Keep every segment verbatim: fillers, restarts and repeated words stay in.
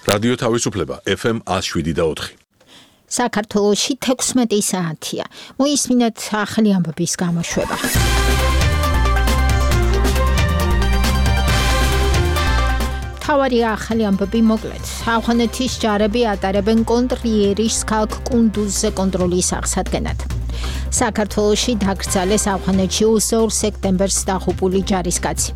რადიო თავისუფლება F M one oh seven და four. საქართველოში თექვსმეტი საათია. მოისმინეთ ახალი ამბების გამოშვება. თავარი ახალი ამბები მოკლედ. ავღანეთის ჯარები ატარებენ კონტრიერის ქალაქ კუნდუზზე კონტროლის აღსადგენად. საქართველოში დაკრძალეს ავღანეთში ოცდაორ სექტემბერს დაღუპული ჯარისკაცი.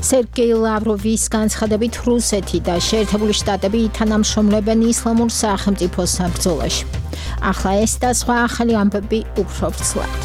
სერგეი ლავროვის განცხადებით რუსეთი და შეერთებული შტატები ითანამშრომლებენ ისლამურ სახელმწიფოსთან ბრძოლაში. ახლა ეს და სხვა ახალი ამბები უფრო ვრცლად.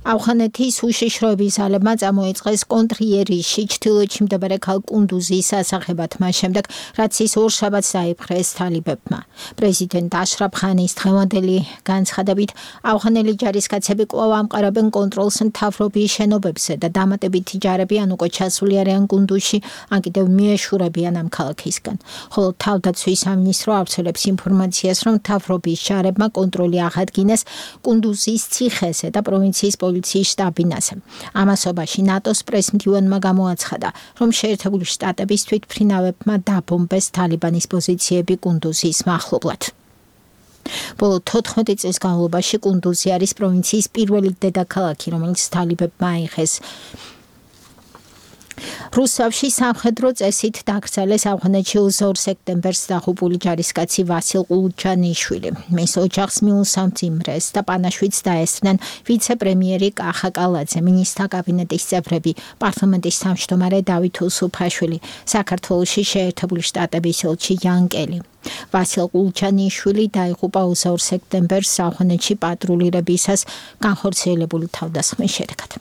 ავღანეთის უშიშროების ძალებმა წამოიწყეს კონტრიერისში ჩრდილოეთში მდებარე ქალაქ კუნდუზის ასახებად მას შემდეგ, რაც ის ორშაბათს დაიპყრეს თალიბებმა. პრეზიდენტ აშრაფ ხანის დღევანდელი განცხადებით ავღანელი ჯარისკაცები კვლავ ამყარებენ კონტროლს მთავრობის შენობებზე და დამატებითი ჯარები ან უკვე ჩასული არიან კუნდუზში, ან კიდევ მიეშურებიან ამ ქალაქისგან. ხოლო თავდაცვის სამინისტრო ავრცელებს ინფორმაციას, რომ მთავრობის ჯარებმა კონტროლი აღადგინეს კუნდუზის ციხესზე და პროვინციის პოლიციის შტაბ-ბინაზე. ამასობაში ნატოს პრესმდივანმა გამოაცხადა, რომ შეერთებული შტატების თვითმფრინავებმა დაბომბეს თალიბანის პოზიციები კუნდუზის მახლობლად. ბოლო თოთხმეტი წლის განმავლობაში კუნდუზი არის პროვინციის პირველი დედაქალაქი, რომელიც თალიბებმა აიღეს. რუსთავში სამხედრო წესით დაკრძალეს ავღანეთში ოცდაორ სექტემბერს დაღუპული ჯარისკაცი ვასილ ყულჩანიშვილი. მის ოჯახს მიუსამძიმრეს და პანაშვიდს დაესწრნენ ვიცე-პრემიერი კახა კალაძე, მინისტრთა კაბინეტის წევრები, პარლამენტის თავმჯდომარე დავით უსუფაშვილი, საქართველოში შეერთებული შტატების ელჩი იან კელი. ვასილ ყულჩანიშვილი დაიღუპა ოცდაორ სექტემბერს ავღანეთში პატრულირებისას განხორციელებული თავდასხმის შედეგად.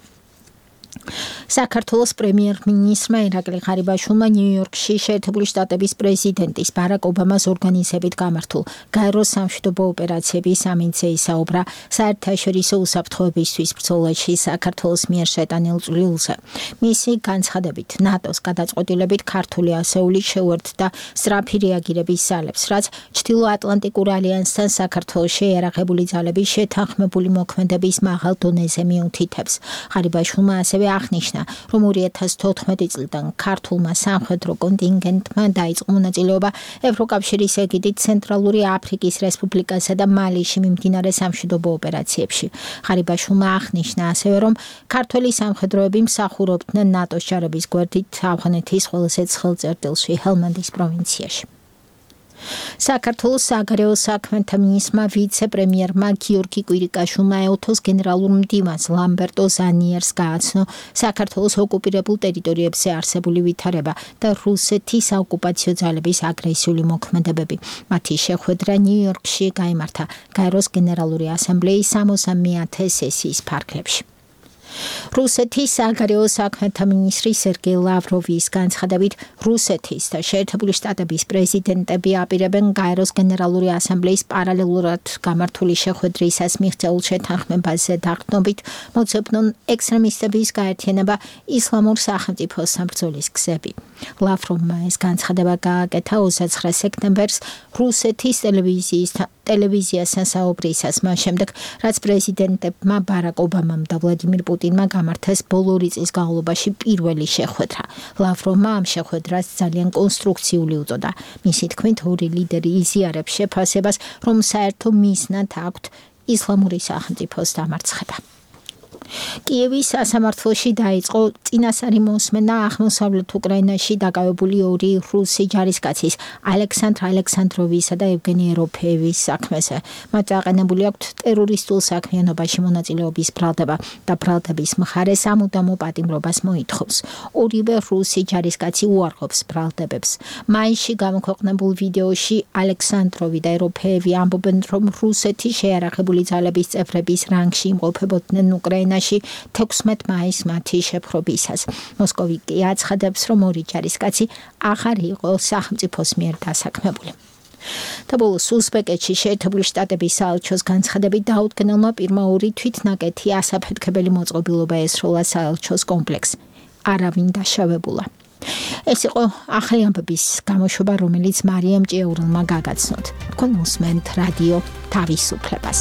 საქართველოს პრემიერ-მინისტრმა ირაკლი ღარიბაშვილმა ნიუ-იორკში შეერთებული შტატების პრეზიდენტის ბარაკ ობამას ორგანიზებით გამართულ გაეროს სამშვიდობო ოპერაციების სამინცე ისაუბრა საერთაშორისო უსაფრთხოებისთვის ბრძოლაში საქართველოს მიერ შეტანილ წვლილზე. მისი განცხადებით ნატოს გადაწყვეტილებით ქართული ასეული შეუერთდა სწრაფი რეაგირების ძალებს, რაც ჩრდილო-ატლანტიკურ ალიანსთან საქართველოს შეიარაღებული ძალების შეთანხმებული მოქმედების მაღალ დონეზე მიუთითებს. ღარიბაშვილმა ასევე აღნიშნა, რომ ორი ათას თოთხმეტი წლიდან ქართულმა სამხედრო კონტინგენტმა დაიწყო მონაწილეობა ევროკავშირის ეგიდით ცენტრალური აფრიკის რესპუბლიკასა და მალიში მიმდინარე სამშვიდობო ოპერაციებში. ღარიბაშვილმა აღნიშნა ასევე, რომ ქართველი სამხედროები მსახურობდნენ ნატოს ჯარების გვერდით ავღანეთის ყველაზე ცხელ წერტილში ჰელმანდის პროვინციაში. საქართველოს საგარეო საქმეთა მინისტრმა ვიცე-პრემიერმა გიორგი კვირიკაშვილმა ეოთოს გენერალურ მდივანს ლამბერტო ზანიერს გააცნო საქართველოს ოკუპირებულ ტერიტორიებზე არსებული ვითარება და რუსეთის საოკუპაციო ძალების აგრესიული მოქმედებები. მათი შეხვედრა ნიუ-იორკში გაიმართა გაეროს გენერალური ასამბლეის სამოცდამეათე სესიის ფარგლებში. რუსეთის საგარეო საქმეთა მინისტრი სერგეი ლავროვის განცხადებით რუსეთის და შეერთებული შტატების პრეზიდენტები აპირებენ გაეროს გენერალური ასამბლეის პარალელურად გამართული შეხვედრისას მიღწეულ შეთანხმებაზე დაყრდნობით მოძებნონ ექსტრემისტების გაერთიანება ისლამურ სახელმწიფოსთან ბრძოლის გზები. ლავროვმა ეს განცხადება გააკეთა ოცდაცხრა სექტემბერს რუსეთის ტელევიზიის ტელევიზიასთან საუბრისას მას შემდეგ, რაც პრეზიდენტებმა ბარაკ ობამამ და ვლადიმირ პუტინმა გამართეს ბოლო ორი წლის განმავლობაში პირველი შეხვედრა. ლავროვმა ამ შეხვედრას ძალიან კონსტრუქციული უწოდა. მისი თქმით, ორი ლიდერი იზიარებს შეფასებას, რომ საერთო მიზნად აქვთ ისლამური სახელმწიფოს დამარცხება. კიევის სასამართლოში დაიწყო წინასწარი მოსმენა აღმოსავლეთ უკრაინაში დაკავებული ორი რუსი ჯარისკაცის ალექსანდრ ალექსანდროვისა და ევგენი ეროფეევის საქმეზე. მათ დაყენებული აქვთ ტერორისტულ საქმიანობაში მონაწილეობის ბრალდება და ბრალდების მხარე სამუდამო პატიმრობას მოითხოვს. ორივე რუსი ჯარისკაცი უარყოფს ბრალდებებს. მაისში გამოქვეყნებულ ვიდეოში ალექსანდროვი და ეროფეევი ამბობენ, რომ რუსეთის შეიარაღებული ძალების წევრების რანგში იმყოფებოდნენ უკრაინაში თექვსმეტ მაისს მათი შეპყრობისას. მოსკოვი კი აცხადებს, რომ ორი ჯარისკაცი აღარ იყო სახელმწიფოს მიერ დასაქმებული. და ბოლოს უზბეკეთში შეერთებული შტატების საელჩოს განცხადებით დაუდგენელმა პირმა ორი თვითნაკეთი ასაფეთქებელი მოწყობილობა ესროლა საელჩოს კომპლექსს. არავინ დაშავებულა. ეს იყო ახალი ამბების გამოშვება, რომელიც მარიამ ჭიაურელმა გაგაცნოთ. თქვენ უსმენთ რადიო თავისუფლებას.